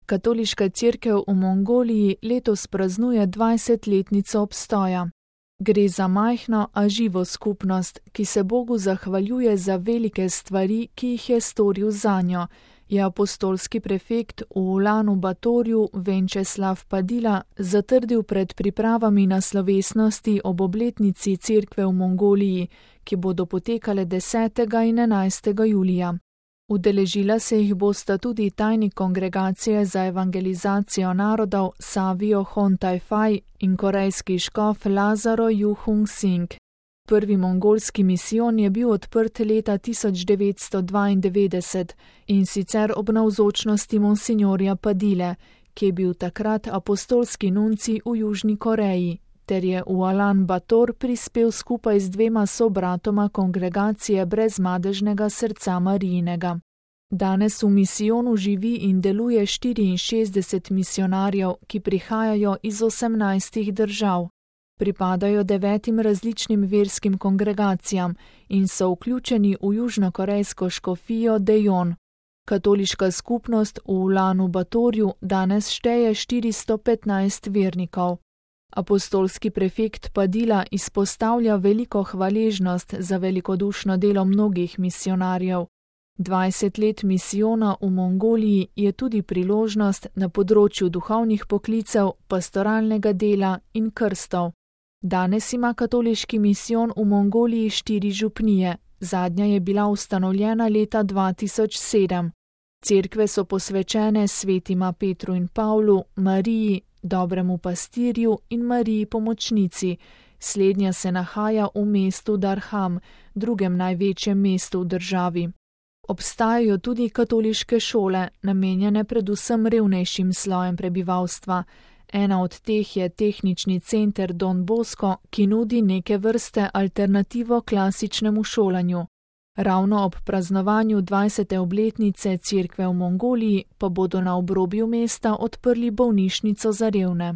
Katoliška cerkev v Mongoliji letos praznuje 20-letnico obstoja. Gre za majhno, a živo skupnost, ki se Bogu zahvaljuje za velike stvari, ki jih je storil zanjo, je apostolski prefekt v Ulanu Batorju Venčeslav Padila zatrdil pred pripravami na slovesnosti ob obletnici cerkve v Mongoliji, ki bodo potekale 10. in 11. julija. Udeležila se jih bosta tudi tajnik Kongregacije za evangelizacijo narodov Savio Hontai-Fai in korejski škof Lazaro Juhung Sing. Prvi mongolski misijon je bil odprt leta 1992 in sicer ob navzočnosti monsinjorja Padile, ki je bil takrat apostolski nuncij v Južni Koreji, ter je v Ulan Bator prispel skupaj z 2 sobratoma Kongregacije brezmadežnega srca Marijinega. Danes v misijonu živi in deluje 64 misionarjev, ki prihajajo iz 18 držav. Pripadajo 9 različnim verskim kongregacijam in so vključeni v južnokorejsko škofijo Daejeon. Katoliška skupnost v Ulanu Batorju danes šteje 415 vernikov. Apostolski prefekt Padila izpostavlja veliko hvaležnost za velikodušno delo mnogih misionarjev. 20 let misijona v Mongoliji je tudi priložnost na področju duhovnih poklicev, pastoralnega dela in krstov. Danes ima katoliški misijon v Mongoliji 4 župnije, zadnja je bila ustanovljena leta 2007. Cerkve so posvečene svetima Petru in Pavlu, Mariji, dobremu pastirju in Mariji pomočnici. Slednja se nahaja v mestu Darham, drugem največjem mestu v državi. Obstajajo tudi katoliške šole, namenjene predvsem revnejšim slojem prebivalstva. Ena od teh je tehnični center Don Bosco, ki nudi neke vrste alternativo klasičnemu šolanju. Ravno ob praznovanju 20. obletnice cerkve v Mongoliji pa bodo na obrobju mesta odprli bolnišnico za revne.